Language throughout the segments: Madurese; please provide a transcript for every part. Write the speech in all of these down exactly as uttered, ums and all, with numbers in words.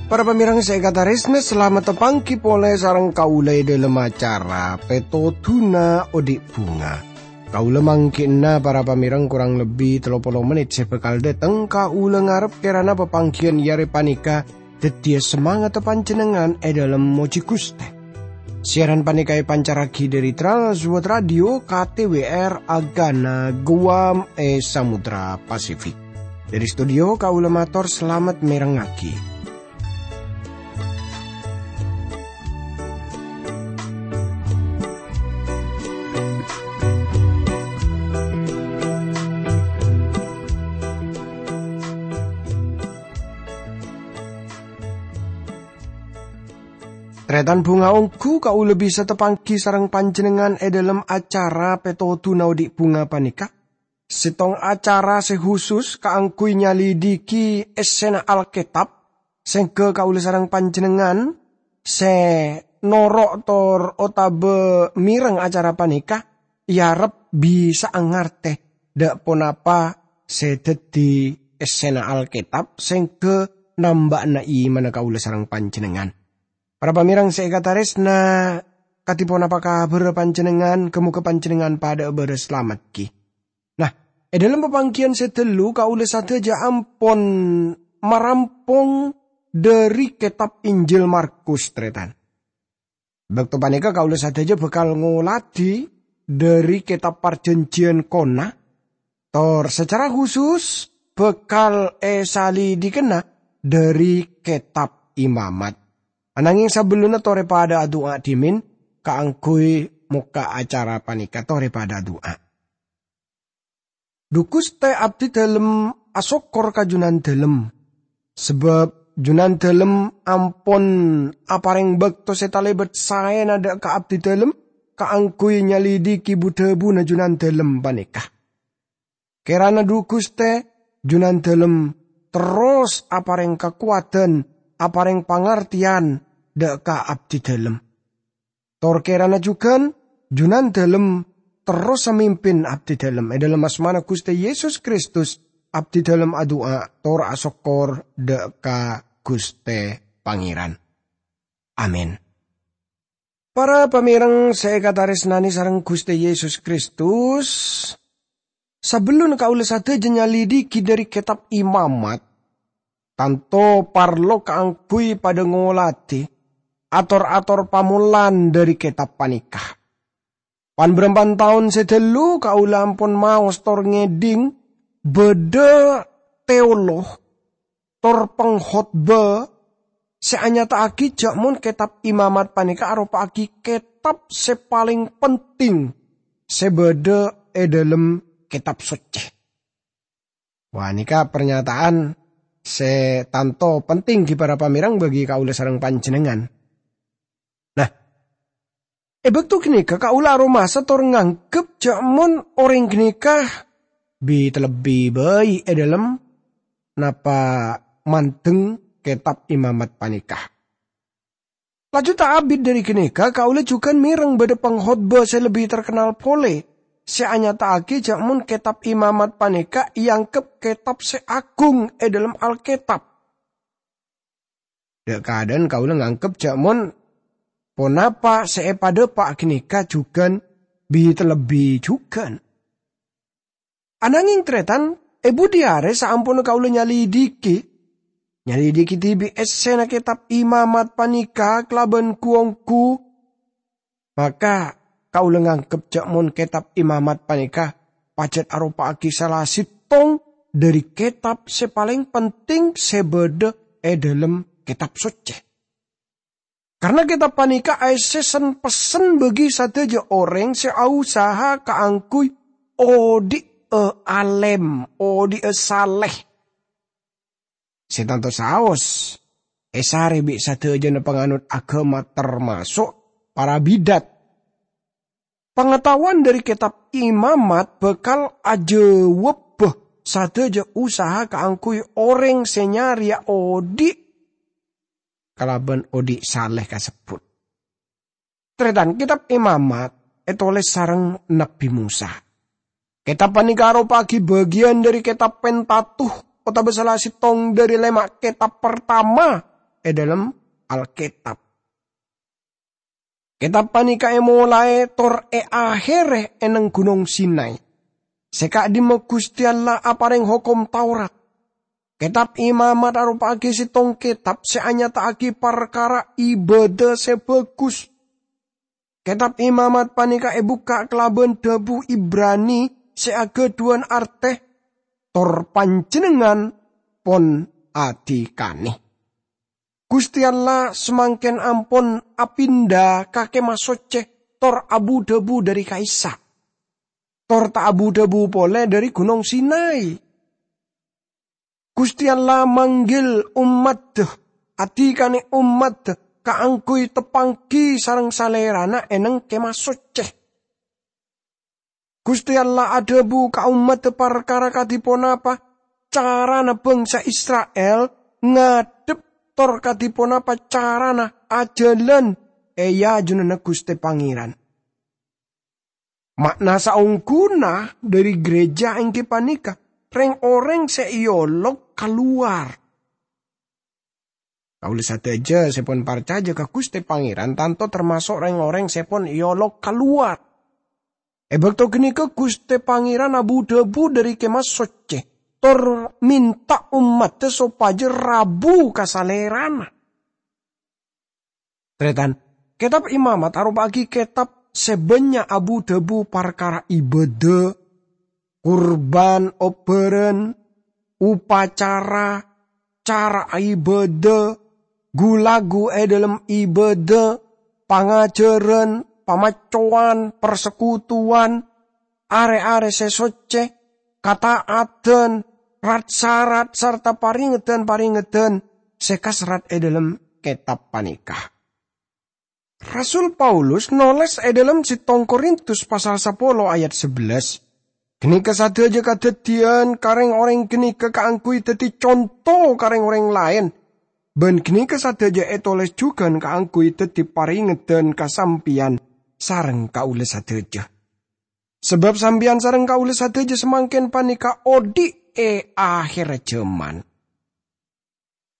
Para pamèrèng sè èkatarèsnaè, salamet tapangghi polè sareng kaulâ è dhâlem acara Pètodhuna Odi' Bhunga. Kaulâ mangghi'na para pamèrèng korang lebbi tello polo mennit sè bhâkal dâteng. Kaulâ ngarep kèrana papangghiyân è arè panèka dhâddhiyâ samangatta panjhennengngan è dhâlem mojhi Ghustè. Siaran panèka èpancarraghi dhâri Trans World Radio K T W R Agana Guam è Samudra Pasifik. Dhâri studio kaulâ mator salamet mèrengngaghi. Tarètan bhunga, ongghu kaulâ bisa tapangghi sareng panjhennengngan è dhâlem acara Pètodhuna Odi' Bhunga panèka, sèttong acara sè husus kaangghuy nyalidhighi èssèna Alkètab, sèngghâ kaulâ sareng panjhennengngan sè noro' tor otabâ mèreng acara panèka èarep bisa'a ngartè dâ' ponapa sè dhâddhi èssèna Alkètab sèngghâ namba'ana imanna kaulâ sareng panjhennengngan. Para pamèrèng sè èkatarèsna, kadhi ponapa kabhârrâ panjhennengngan? Ghâ-mogâ panjhennengngan padhâ'â bârâs salamet, ghi. Nah, è dhâlem papangghiyân sè ghâllu kaulâ sadhâjâ ampon marampong dhâri kètab Injil Markus, tarètan. Bâkto panèka kaulâ sadhâjâ bhâkal ngolatè dhâri kètab Parjhânjhiyân Kona, tor sacara husus bhâkal èsalidhikana dhâri kètab Imamat. Ananghing sabellunna torè padhâ adu'a dhimèn kaangghuy mokka' acara panèka, torè padhâ adu'a. Dhu Ghustè, abdhi dhâlem asokkor ka Junandhâlem, sabâb Junandhâlem ampon aparèng bâkto sè talèbât saèna dâ' ka abdhi dhâlem kaangghuy nyalidhighi bu-dhâbuna Junandhâlem panèka. Kèrana Dhu Ghustè, Junandhâlem terros aparèng kakowadhân, aparèng pangartèyan dâ' ka abdhi dhâlem. Tor kèrana jhughân Junandhâlem terros samimpin abdhi dhâlem. È dhâlem asmana Ghustè Yesus Kristus, abdhi dhâlem adu'a tor asokkor dâ' ka Ghustè Pangèran. Amin. Para pamèrèng sè èkatarèsnanè sareng Ghustè Yesus Kristus, sabellunna kaulâ sadhâjâ nyalidhighi dhâri kètab Imamat, tanto parlo kaangghuy padhâ ngolatè ator-ator pamolan dhâri kètab panèka. Pan-bârâmpan taon sè ghâllu kaulâ ampon maos tor ngèdhing bâdâ teolog tor pangkhotbah sè anyata'aghi jhâ' mon kètab Imamat panèka aropa'aghi kètab sè palèng penting sè bâdâ è dhâlem Kètab Soccè. Wah, nèka parnyata'an sè tanto penting ghi para pamèrèng bagi kaulâ sareng panjhennengngan. Nah, è bâkto ghânèka kaulâ aromasa tor nganggep jhâ' mon orèng ghânèka bi-, lebbi bhâi è dhâlem napa mandeng Kètab Imamat panèka. Laju ta' abit dhâri ghânèka, kaulâ jhughân mèreng bâdâ pangkhotbah sè lebbi terkennal polè, sè anyata'aghi jhâ' mon Kètab Imamat panèka èangghep kètab sè agung è dhâlem Alkètab. Dâ'-kadâ'ân kaulâ nganggep jhâ' mon ponapa sè èpadâpa' ghânèka jhughân bi-, lebbi jhughân. Ananging, tarètan, è budi arè saamponna kaulâ nyalidhighi, nyalidhighi dhibi' èssèna Kètab Imamat panèka kalabân gu-onggu, maka kaulâ nganggep jhâ' mon Kètab Imamat panèka pajhât aropa'aghi sala sèttong dhâri kètab sè palèng penting sè bâdâ è dhâlem Kètab Soccè. Karna kètab panèka aèssè sen-pessen bagi sadhâjâ orèng sè ausaha kaangghuy odi'â alèm, odi'â salè. Sè tanto saos èsarè bi' sadhâjâna panganot aghâma, tamaso' para bidat. Pangataowan dhâri Kètab Imamat bhâkal ajâwâbbhâ sadhâjâ usaha kaangghuy orèng sè nyarèya odi' kalabân odi' salè kasebbhut. Tarètan, Kètab Imamat ètolès sareng Nabbhi Mosa. Kètab panèka aropa'aghi bâgiyân dhâri Kètab Pentatukh, otabâ sala sèttong dhâri lèma' kètab partama è dhâlem Alkètab. Kètab panèka èmolaè tor èahèrè è neng Ghunong Sinai, sè ka'dimma Ghustè Allah aparèng Hokom Taurat. Kètab Imamat aropa'aghi sèttong kètab sè anyata'aghi parkara ibâdâ sè bhâghus. Kètab Imamat panèka èbukka' kalabân dhâbu Ibrani sè aghâdhuwân artè, "Tor panjhennengngan pon adhikanè." Ghustè Allah samangkèn ampon apinda ka Kèmah Soccè tor abu-dhâbu dhâri ka'issa'. Tor ta' abu-dhâbu polè dhâri Ghunong Sinai. Ghustè Allah manggil ommaddhâ, adhikanè ommaddhâ kaangghuy tapanggi sareng Salèrana è neng Kèmah Soccè. Ghustè Allah adhâbu ka ommaddhâ parkara kadhi ponapa carana bhângsa Isra'il ngadhep tor kadhi ponapa carana ajhâlân è ajunanna Ghustè Pangèran. Ma'na saongghuna dhâri ghârèjâ èngghi panèka rèng-orèng sè èolok kalowar. Kaulâ sadhâjâ sè pon parcajâ ka Ghustè Pangèran tanto tamaso' rèng-orèng sè pon èolok kalowar. È bâkto ghânèka Ghustè Pangèran abu-dhâbu dhâri Kèmah Soccè, tor mènta ommaddhâ sopajâ rabu ka Salèrana. Tarètan, Kètab Imamat aropa'aghi kètab sè bânnya' abu-dhâbu parkara ibâdâ, kurbân obbhârân, upacara, cara ibâdâ, ghu-lagghu è dhâlem ibâdâ, pangajhârân, pamaccowan, parsekutuwan, arè-arè sè soccè, kata'adan, rat-sarat, sarta parèngedhân-parèngedhân sè kaserrat è dhâlem kètab panèka. Rasul Paulus nolès è dhâlem sèttong Korintus pasal sapolo ayat sabellâs, "Ghânèka sadhâjâ kadhâddhiyân ka rèng-orèng ghânèka kaangghuy dhâddhi conto ka rèng-orèng laèn, bân ghânèka sadhâjâ ètolès jhughân kaangghuy dhâddhi parèngedhân ka sampèyan sareng kaulâ sadhâjâ. Sabâb sampèyan sareng kaulâ sadhâjâ samangkèn panèka odi' è ahèrra jhâman."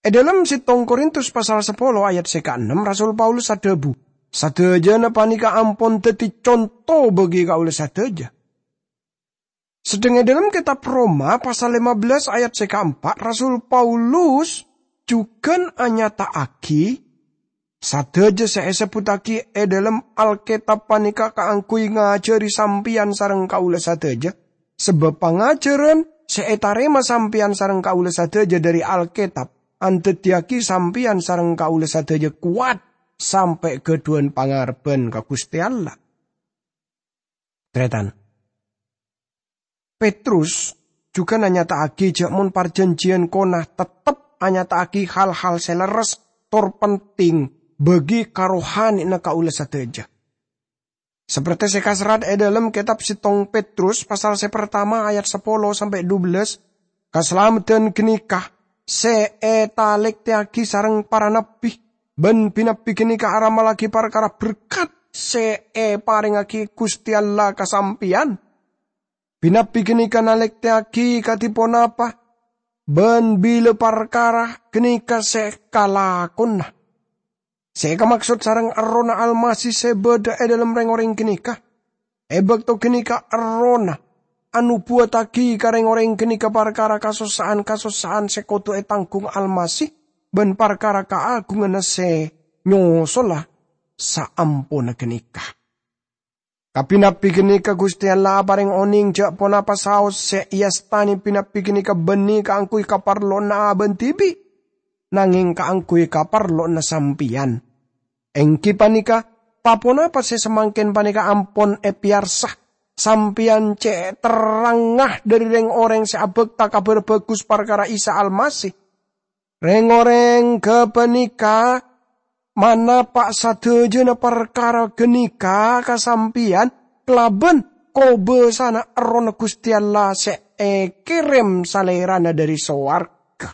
È dhâlem sèttong Korintus pasal sapolo ayat sè kaennem, Rasul Paulus adhâbu, "Sadhâjâna panèka ampon dhâddhi conto bagi kaulâ sadhâjâ." Sedheng è dhâlem kètab Roma pasal lèma bellâs ayat sè kaempa', Rasul Paulus jhughân anyata'aghi, sadhâjâ sè èsebbhuttaghi è dhâlem Alkètab panèka kaangghuy ngajhâri sampèyan sareng kaulâ sadhâjâ, sabâb pangajhârân sè ètarèma sampèyan sareng kaulâ sadhâjâ dhâri Alkètab andhâddhiyâghi sampèyan sareng kaulâ sadhâjâ kowat sampè' ghâdhuwân pangarebbhân ka Ghustè Allah. Tarètan, Petrus jhughân anyata'aghi jhâ' mon parjhânjhiyân kona tettep anyata'aghi hal-hal sè lerres tor penting bagi karohanè'na kaulâ sadhâjâ. Sapertè sè kaserrat è dhâlem kètab sèttong Petrus pasal sè partama ayat sapolo sampè' dubellâs, kasalameddhân ghânèka sè ètalèktèyaghi sareng para nabbhi, bân bi-nabbhi ghânèka aramallaghi parkara berkat sè èparèngaghi Ghustè Allah ka sampèyan. Bi-nabbhi ghânèka nalèktèyaghi kadhi ponapa bân bilâ parkara ghânèka sè kalakona. Sè èkamaksod sareng Errohna Almasih sè bâdâ è dhâlem rèng-orèng ghânèka. È bâkto ghânèka Errohna anobuwattaghi ka rèng-orèng ghânèka parkara kasossa'an-kasossa'an sè kodhu ètangghung Almasih bân parkara kaagunganna sè nyosola saamponna ghânèka. Ka bi-nabbhi ghânèka Ghustè Allah aparèng onèng jhâ' ponapa saos sè èastanè bi-nabbhi ghânèka bânnè kaangghuy kaparlowanna abâ'na dhibi', nangèng kaangghuy kaparlowanna sampèyan. Èngghi panèka, pa-ponapa sè samangkèn panèka ampon èpèyarsa, sampèyan cè' terrangnga dhâri rèng-orèng sè abhâkta Kabhâr Bhâghus parkara Isa Almasih. Rèng-orèng ghâpanèka manapa' sadhâjâna parkara ghânèka ka sampèyan kalabân kobâsana Errohna Ghustè Allah sè èkèrèm Salèrana dhâri sowarghâ.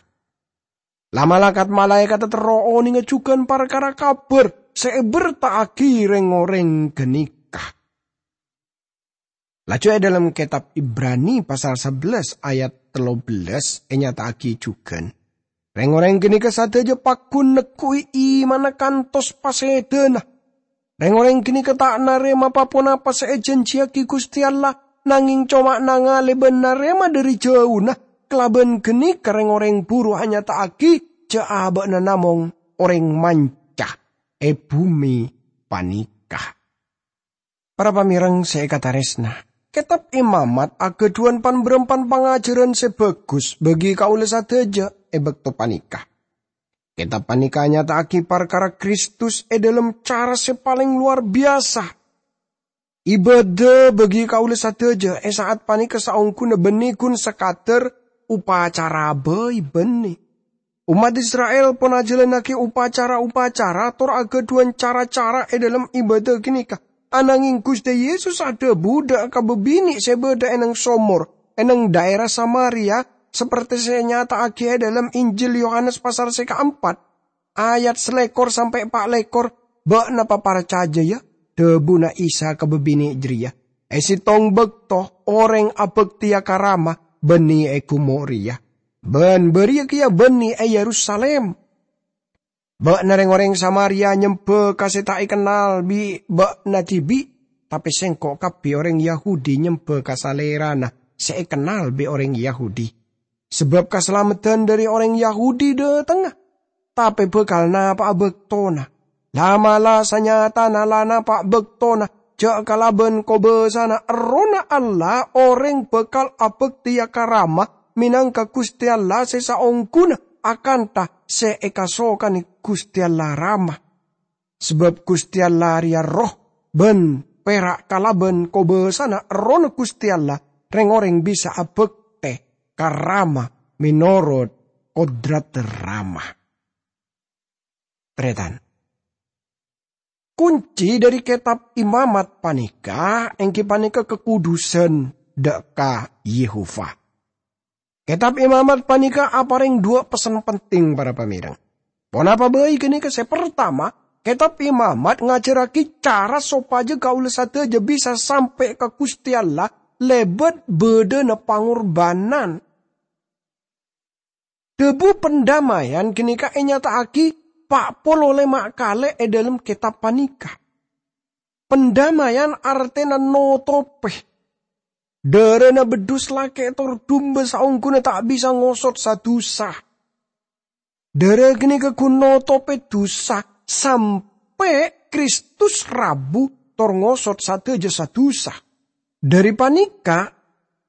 La-malakat malaèkat terro onènga jhughân parkara kabhâr sè èberta'aghi rèng-orèng ghânèka. Laju è dhâlem kètab Ibrani pasal sabellâs ayat tello bellâs ènyata'aghi jhughân, "Rèng-orèng ghânèka sadhâjâ paggun negghu'i imanna kantos pasèdhâna. Rèng-orèng ghânèka ta' narèma pa-ponapa sè èjhânjhiyaghi Ghustè Allah, nangèng coma nangalè bân narèma dhâri jhâuna. Kalabân ghânèka rèng-orèng buru anyata'aghi jhâ' abâ'na namong orèng manca è bhumè panèka." Para pamèreng sè èkatarèsna, Kètab Imamat aghâdhuwân pan-bârâmpan pangajhârân sè bhâghus bagi kaulâ sadhâjâ è bâkto panèka. Kètab panèka anyata'aghi parkara Kristus è dhâlem cara sè palèng lowar biyasa. Ibâdâ bagi kaulâ sadhâjâ è sa'at panèka saongghuna bânnè ghun sakadâr upacara bhâi bânnè. Ommat Isra'il pon ajhâlannaghi upacara-upacara tor aghâdhuwân cara-cara è dhâlem ibâdâ ghânèka. Anangèng Ghustè Yesus adhâbu dhâ' ka bâbinè' sè bâdâ è neng somor, è neng dhaèra Samaria, sapertè sè ènyata'aghi è dhâlem Injil Yohanes pasal sè kaempat, ayat salèkor sampè' pa' lèkor, "Bâ'na paparcajâ, yâ," dhâbuna Isa ka bâbinè' jârèya, "è sèttong bâkto orèng abhâktèya ka Rama bânnè è ghumo' rèya, bân bâriyâ kèya bânnè è Yerusalim. Bâ'na rèng-orèng Samaria nyembhâ ka sè ta' èkennal bi' bâ'na dhibi', tapè Sèngko' kabbhi orèng Yahudi nyembhâ ka Salèrana sè èkennal bi' orèng Yahudi. Sabâb kasalameddhân dhâri orèng Yahudi dhâtengnga, tapè bhâkal napa'a bâktona. La'-mala' sanyatana la napa' bâktona, jhâ' kalabân kobâsana Errohna Allah orèng bhâkal abhâktèya ka Rama mènangka Ghustè Allah sè saongghuna akanta sè èkasokanè Ghustè Allah Rama. Sabâb Ghustè Allah rèya Erroh, bân pèra' kalabân kobâsana Errohna Ghustè Allah rèng-orèng bisa abhâktè ka Rama mènorot kodrat Rama." Tarètan. Kunci dhâri Kètab Imamat panèka èngghi panèka kakudusan dhâ' ka Yehova. Kètab Imamat panèka aparèng duwâ' pessen penting, para pamèreng. Ponapa bhâi ghânèka? Sè partama, Kètab Imamat ngajhârraghi cara sopajâ kaulâ sadhâjâ bisa sampè' ka Ghustè Allah lèbât bâdâna pangorbhânan. Dhâbu pandamèyan ghânèka ènyata'aghi pa' polo lèma' kalè è dhâlem kètab panèka. Pandamèyan artèna notopè. Dârâna beddhus lakè' tor dumba saongghuna ta' bisa ngosot sa-dusa. Dârâ ghânèka ghun notopè dusa sampè' Kristus rabu tor ngosot sadhâjâ sa-dusa. Dhâri panèka,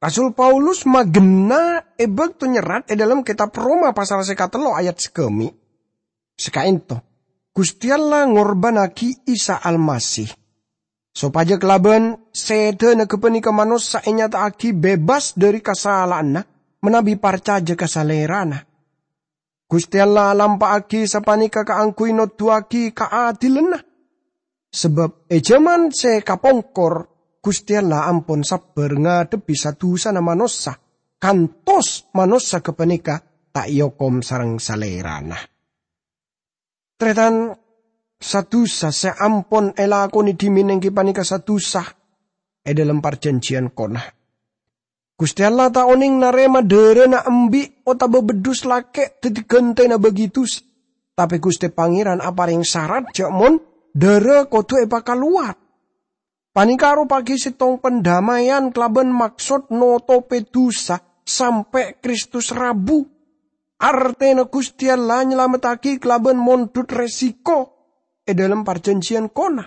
Rasul Paulus maghenna è bâkto nyerrat è dhâlem kètab Roma pasal sè katello ayat sagâmè'. Sakaènto, Ghustè Allah ngorbhânnaghi Isa Almasih, sopajâ kalabân sèdhâna ghâpanèka manossa ènyata'aghi bebas dhâri kasala'anna manabi parcajâ ka Salèrana. Ghustè Allah alampa'aghi sapanèka kaangghuy noduwâghi kaadilanna. Sabâb è jhâman sè kapongkor, Ghustè Allah ampon sabbhâr ngadhebbhi sa-dusana manossa, kantos manossa ghâpanèka ta' èokom sareng Salèrana. Tarètan, sa-dusa sè ampon èlakonè dhimèn èngghi panèka sa-dusa è dhâlem Parjhânjhiyân Kona. Ghustè Allah ta' onèng narèma dârâna embi' otabâ beddhus lakè' dhâddhi ghântèna bâgi dusa. Tapè Ghustè Pangèran aparèng sarat jhâ' mon dârâ kodhu èpakalowar. Panèka aropa'aghi sèttong pandamèyan kalabân maksod notopè dusa sampè' Kristus rabu. Artèna Ghustè Allah nyalamettaghi kalabân mondhut resiko è dhâlem Parjhânjhiyân Kona.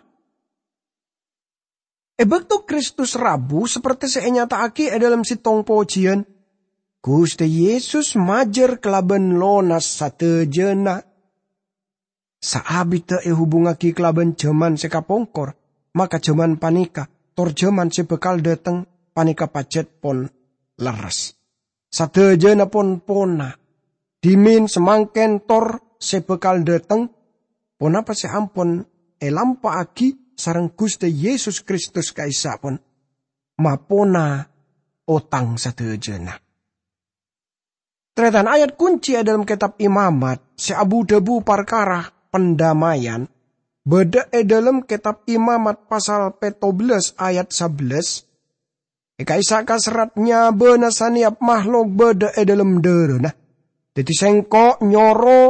È bâkto Kristus rabu, sapertè sè ènyata'aghi è dhâlem sèttong pojiyân, Ghustè Yesus majâr kalabân lonas sadhâjâna. Saabidda èhubungngaghi kalabân jhâman sè kapongkor, maka jhâman panèka tor jhâman sè bhâkal dhâteng panèka pajhât pon lerres. Sadhâjâna pon pona, dhimèn, samangkèn, tor sè bhâkal dhâteng, ponapa sè ampon èlampa'aghi sareng Ghustè Yesus Kristus ka'issa' pon mapona otang sadhâjâna. Tarètan, ayat kunci è dhâlem kètab Imamat sè abu-dhâbu parkara pandamèyan, bâdâ è dhâlem Kètab Imamat pasal pètto bellâs ayat sabellâs, è ka'issa' kaserrat nyabâna sanèyap mahlok bâdâ è dhâlem dârâna. Dhâddhi sèngko' nyoro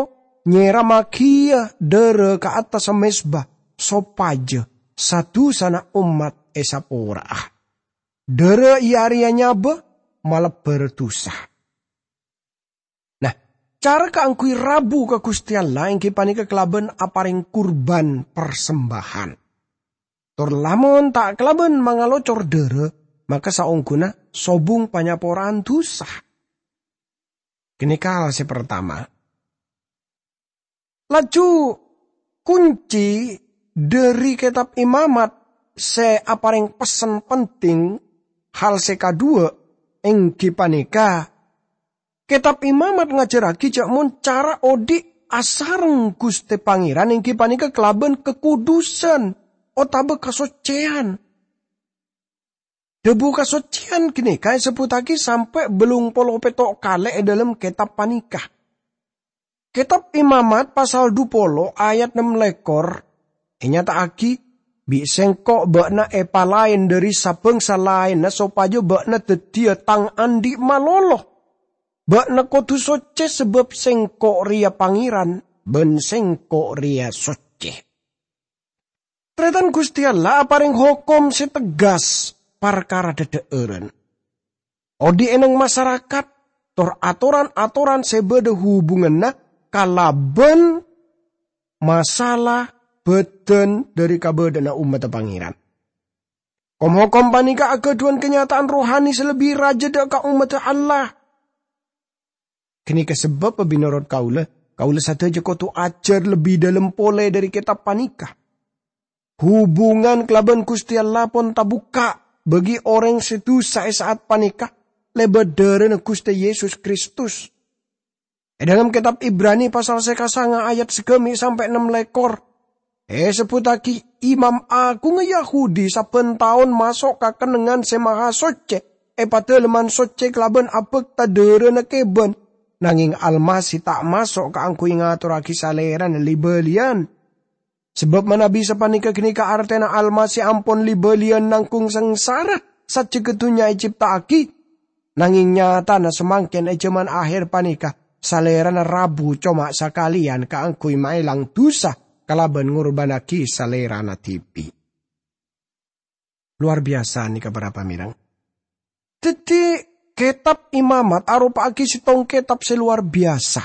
nyèrammaghiyâ dârâ ka attassa mezba, sopajâ sa-dusana ommat èsapora'a. Dârâ iyâ arèya nyabâ malebbhâr dusa. Nah, cara kaangghuy rabu ka Ghustè Allah èngghi panèka kalabân aparèng kurban parsembahan. Tor lamon ta' kalabân mangalocor dârâ, maka saongghuna sobung panyapora'an dusa. Ghânèka hal sè partama. Laju, kunci dhâri Kètab Imamat sè aparèng pessen penting, hal sè kaduwâ', èngghi panèka, Kètab Imamat ngajhârraghi jhâ' mon cara odi' asareng Ghustè Pangèran èngghi panèka kalabân kakodusan otabâ kasoccèyan. Dhâbu kasoccèyan ghânèka èsebbhuttaghi sampè' bâllung polo pètto' kalè è dhâlem kètab panèka. Kètab Imamat pasal dhu polo ayat nem lèkor ènyata'aghi, "Bi' Sèngko' bâ'na èpalaèn dhâri sa-bângsa laènna sopajâ bâ'na dhâddhiyâ Tang andi' malolo. Bâ'na kodhu soccè sabâb Sèngko' rèya Pangèran, bân Sèngko' rèya soccè." Tarètan Ghustè Allah aparèng hokom sè tegghâs parkara dhâdhâ'ârân. Odi' è neng masarakat, tor atoran-atoran sè bâdâ hubunganna kalabân masala bâdân dhâri kabâdâ'ânna ommaddhâ Pangèran. Kom-hokom panèka aghâdhuwân kanyata'an rohani sè lebbi rajâ dhâ' ka ommaddhâ Allah. Ghânèka sabâbbhâ, mènorot kaulâ, kaulâ sadhâjâ kodhu ajhâr lebbi dhâlem polè dhâri kètab panèka. Hubungan kalabân Ghustè Allah pon tabukka' bagi orèng sè dusa è sa'at panèka lèbât dârâna Ghustè Yesus Kristus. È dhâlem kètab Ibrani pasal sè kasanga ayat sagâmè' sampè' nem lèkor, èsebbhuttaghi imam aghungnga Yahudi sabbhân taon maso' ka Kennengngan Sè Mahasoccè è Padâlemman Soccè kalabân abhâkta dârâna kèbân, nangèng Almasih ta' maso' kaangghuy ngatorraghi Salèrana li-bâliyân. Sabâb manabi sapanèka ghânèka artèna Almasih ampon li-bâliyân nangghung sangsara sajjhegghâ dhunnya ècèpta'aghi, nangèng nyatana samangkèn è jhâman akhèr panèka Salèrana rabu coma sakalèyan kaangghuy maèlang dusa kalabân ngorbhânnaghi Salèrana dhibi'. Lowar biyasa nèka para pamèreng. Dhâddhi, Kètab Imamat aropa'aghi sèttong kètab sè lowar biyasa.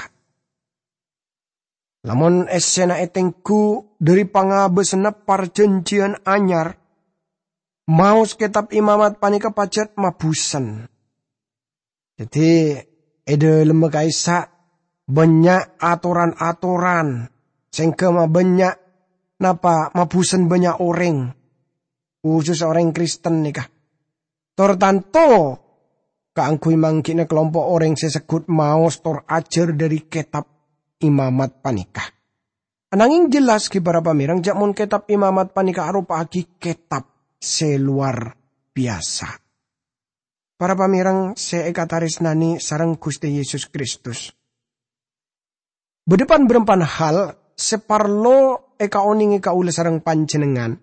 Lamon èssèna ètengghu dhâri pangabâsanna Parjhânjhiyân Anyar, maos Kètab Imamat panèka pajhât mabhusen. Dhâddhi, è dhâlemma ka'issa' bânnya' atoran-atoran sè èngghâ mabânnya' napa mabhusen bânnya' orèng, khusus orèng Kristen nèka. Tor tanto kaangghuy mangghi'na kalompo' orèng sè segghut maos tor ajhâr dhâri Kètab Imamat panèka. Anangèng jelas ghi para pamèreng jhâ' mon Kètab Imamat panèka aropa'aghi kètab sè lowar biyasa. Para pamèreng sè èkatarèsnanè sareng Ghustè Yesus Kristus. Bâdâ pan-bârâmpan hal sè parlo èkaonèngè kaulâ sareng panjhennengngan,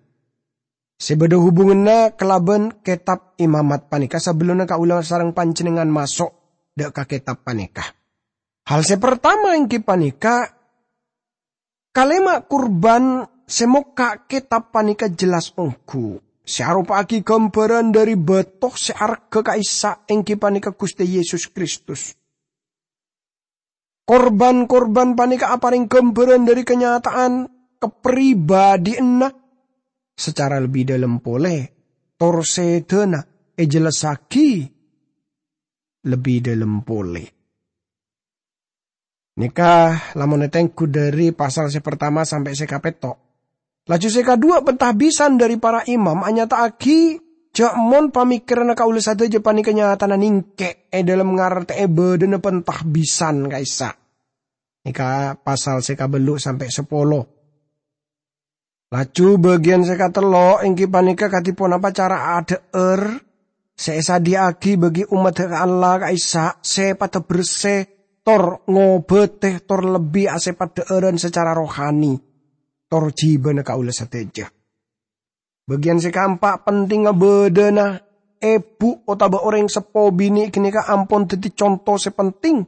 sè bâdâ hubunganna kalabân Kètab Imamat panèka sabellunna kaulâ sareng panjhennengngan maso' dhâ' ka kètab panèka. Hal sè partama èngghi panèka, kalèma kurban sè mokka' kètab panèka jelas ongghu, sè aropa'aghi ghâmbhârân dhâri bâto sè arghâ ka'issa' èngghi panèka Ghustè Yesus Kristus. Korban-korban panèka aparèng ghâmbhârân dhâri kanyata'an kapribadhiyanna. Sacara lebbi dhâlem polè, tor sèdhâna èjellessaghi lebbi dhâlem polè. Nèka lamon ètengghu dhâri pasal sè partama sampè' sè kapètto'. Laju sè kaduwâ' pentahbisan dhâri para imam anyata'aghi jhâ' mon pamèkkèranna kaulâ sadhâjâ panèka nyatana nèngkè' è dhâlem ngartè'è bâdâna pentahbisan ka'issa'. Nèka pasal sè kabellu' sampè' sapolo. Laju bâgiyân sè katello' èngghi panèka kadhi ponapa cara adhâ'âr sè èsadhiyâ'aghi bagi ommaddhâ Allah ka'issa' sè padâ bersè, tor ngobâtè, tor lebbi asèpaddhâ'ârân sacara rohani, tor jhibâna kaulâ sadhâjâ. Bâgiyân sè kaempa' pentingnga bâdâna èbhu otabâ orèng seppo binè' ghânèka ampon dhâddhi conto sè penting,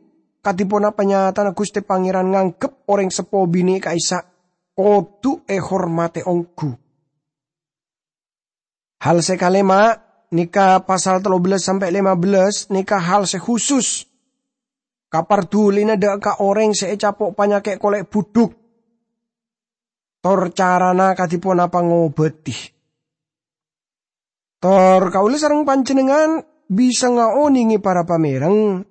kadhi ponapa nyatana Ghustè Pangèran nganggep orèng seppo binè' ka'issa' kodhu èhormatè ongghu. Hal sè kalèma', nèka pasal tello bellâs sampè' lèma bellâs, nèka hal sè khusus. Kapardhulina dâ' ka orèng sè ècapo' panyakè' kolè' budhuk, tor carana kadhi ponapa ngobâdhi. Tor kaulâ sareng panjhennengngan bisa ngaonèngè para pamèreng,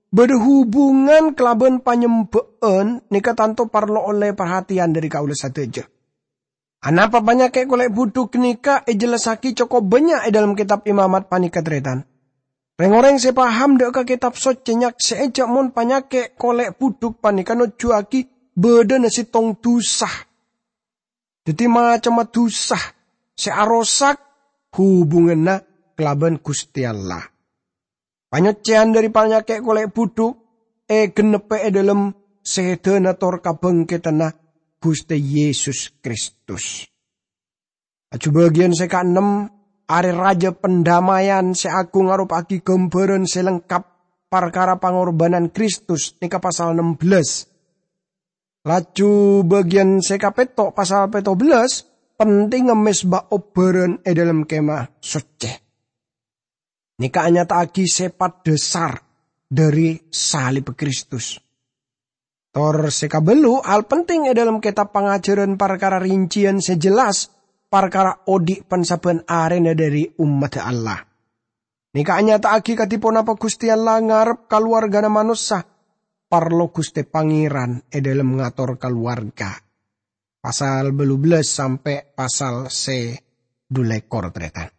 bâdâ hubungan kalabân panyembâ'ân nèka tanto parlo ollè parhatèyan dhâri kaulâ sadhâjâ. Anapa panyakè' kolè' budhuk ghânèka èjellassaghi cokop bânnya' è dâlem Kètab Imamat panèka, tarètan? Rèng-orèng sè paham dâ' ka Kètab Soccè nyaksè'è jâ' mon panyakè' kolè' budhuk panèka nojjhuwaghi bâdâna sèttong dhusa. Dhâddhi, macemma dhusa sè arosak hubunganna kalabân Ghustè Allah. Panyoccèyan dhâri panyakè' kolè' budhuk ègennebbhâ è dâlem sèdhâna tor kabhângkèdhânna Ghustè Yesus Kristus. Laju bâgiyân sè kaennem, Arè Rajâ Pandamaian sè aghung aropa'aghi ghâmbhârân sè lengkap parkara pangorbhânan Kristus, nèka pasal nem bellâs. Laju bâgiyân sè kapètto', pasal pètto bellâs, pentingnga mezba obbhârân è dâlem Kèmah Soccè. Nèka anyata'aghi sèpat dhâsar dhâri salibbhâ Kristus. Tor sè kabâllu', hal penting è dâlem Kètab Pangajhârân parkara rincèyan sè jelas parkara odi' pan-sabbhân arèna dhâri ommaddhâ Allah. Nèka anyata'aghi kadhi ponapa Ghustè Allah ngarep kalowarghâna manossa parlo Ghustè Pangèran è dâlem ngator kalowarga. Pasal bâllu bellâs sampè' pasal sè dhu lèkor, tarètan.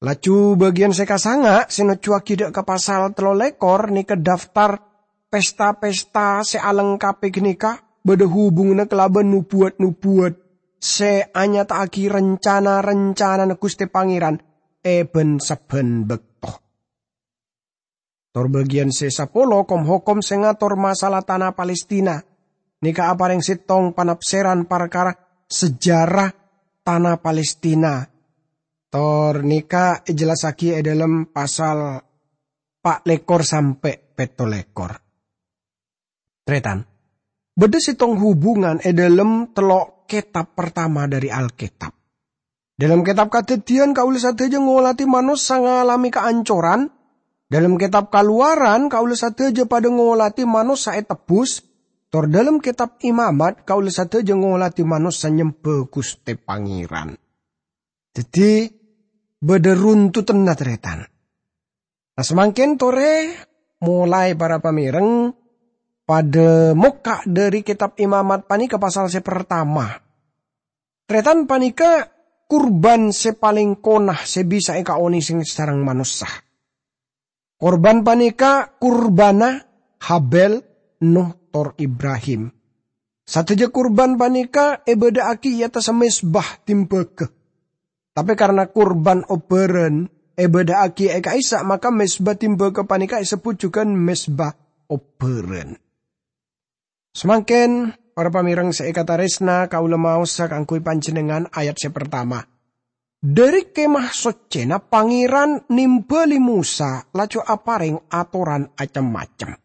Laju bâgiyân sè kasanga' sè nojjhuwaghi dâ' ka pasal tello lèkor nèka daftar pesta-pesta sè alengkapè ghânèka bâdâ hubunganna kalabân nobuwat-nobuwat sè anyata'aghi rencana-rencanana Ghustè Pangèran è bân-sabbhân bâkto. Tor bâgiyân sè sapolo, kom-hokom sè ngator masalah tana Palestina. Nèka aparèng sèttong panafsèran parkara sejarah tana Palestina. Tor nèka èjellassaghi è dâlem pasal pa' lèkor sampè' pètto lèkor. Tarètan, bâdâ sèttong hubungan è dâlem tello' kètab partama dhâri Alkètab. Dâlem kètab Kadhâddhiyân, kaulâ sadhâjâ ngolatè manossa ngalamè kaancoran. Dâlem kètab Kalowaran, kaulâ sadhâjâ padâ ngolatè manossa ètebbhus. Tor dâlem kètab Imamat, kaulâ sadhâjâ ngolatè manossa nyembhâ Ghustè Pangèran. Dhâddhi, bâdâ runtutanna, tarètan. Nah, samangkèn torè molaè para pamèreng padâ mokka' dhâri kètab Imamat panèka pasal sè partama. Tarètan, panèka kurban sè palèng kona sè bisa èkaonèsèng sareng manossa. Kurban panèka kurbânna Habel, Nuh, tor Ibrahim. Sadhâjâ kurban panèka èbâdâ'aghi è attassa mezba tèmbhâghâ. Tapè karna kurban obbhârân èbâdâ'aghi è ka'issa', maka mezba tèmbhâghâ panèka èsebbhut jhughân mezba obbhârân. Samangkèn, para pamèreng sè èkatarèsna, kaulâ maosa kaangghuy panjhennengngan ayat sè partama. Dhâri Kèmah Soccèna Pangèran nèmbhâli Mosa, laju aparèng atoran acem-macem.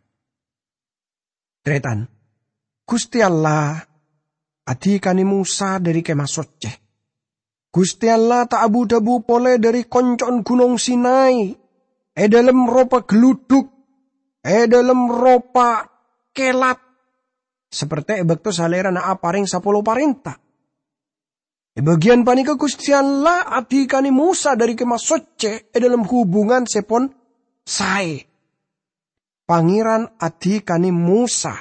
Tarètan, Ghustè Allah adhikane Mosa dhâri Kèmah Soccè. Ghustè Allah ta' abu-dhâbu polè dhâri konco'en Ghunong Sinai, è dhâlem ropa galludhuk, è dhâlem ropa kèlat, saperte è bâkto Salèrana aparèng sapolo parènta. È bâgiyân panèka Ghustè Allah adhikane Mosa dhâri Kèmah Soccè è dhâlem hubungan sè pon saè. Pangèran adhikane Mosa.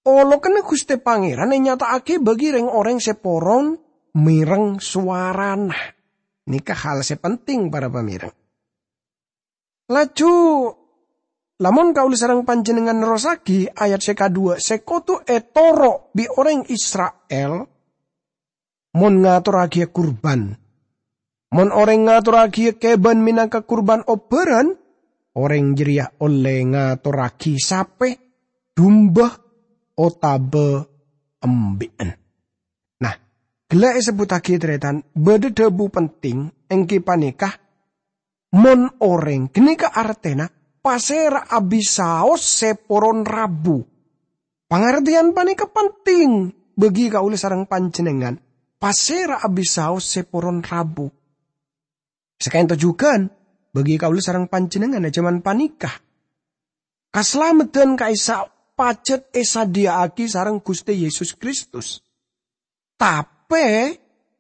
Olokanna Ghustè Pangèran ènyata'aghi bagi reng-oreng sè poron mèreng sowarana. Nèka hal sè penting, para pamèreng. Laju, lamon kaulâ sareng panjhennengngan nerrossaghi ayat sè kadhuwâ' sè kodhu ètoro' bi' oreng Isra'il, mon ngatorraghiyâ kurban. Mon oreng ngatorraghiyâ kèbân mènangka kurban obbhârân, orèng jârèya ollè ngatorraghi sapè, dumba, otabâ embi'en. Nah, ghellâ' èsebbhuttaghi, tarètan, bâdâ dhâbu penting, èngghi panèka, mon orèng, ghânèka artèna pasèra abisaos sè poron rabu. Pangartèyan panèka penting bagi kaulâ sareng panjhennengngan, pasèra abisaos sè poron rabu. Saka'dinto jhughân, bagi kaulâ sareng panjhennengngan è jhâman panèka. Kasalameddhân ka'issa' pajhât èsadhiyâ'aghi sareng Ghustè Yesus Kristus. Tapè,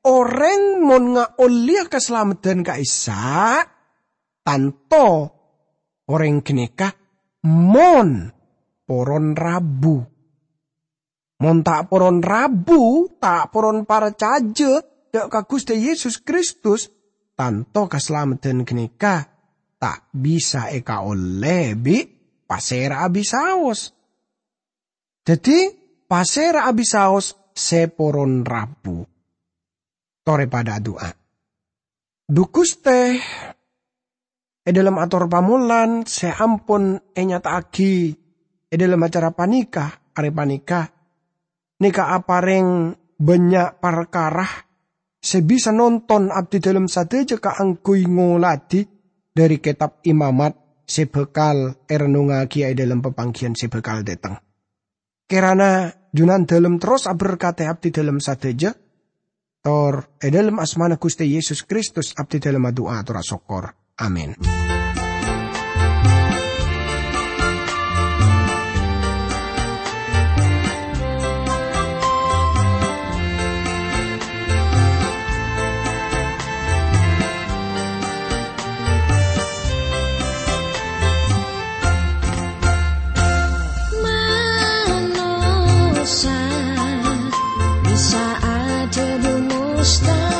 orèng mon ngaollèya kasalameddhân ka'issa', tanto orèng ghânèka mon poron rabu. Mon ta' poron rabu, ta' poron parcajâ dâ' ka Ghustè Yesus Kristus, tanto kasalameddhân ghânèka ta' bisa èkaollè bi' pasèra abisaos. Dhâddhi, pasèra abisaos sè poron rabu. Torè padâ adu'a. Dhu Ghustè, è dhâlem ator pamolan sè ampon ènyata'aghi è dhâlem acara panèka, arè panèka, nèka aparèng bânnya' parkara sè bisa nonton abdhi dhâlem sadhâjâ kaangghuy ngoladhi dhâri Kètab Imamat sè bhâkal èrennongngaghi è dhâlem papangghiyân sè bhâkal dâteng. Kèrana Jhunandhâlem terros aberkadhi abdhi dhâlem sadhâjâ, tor è dhâlem asmana Ghustè Yesus Kristus abdhi dhâlem adu'a tor asokkor. Amin. Manossa bisa adhâbu mustahil.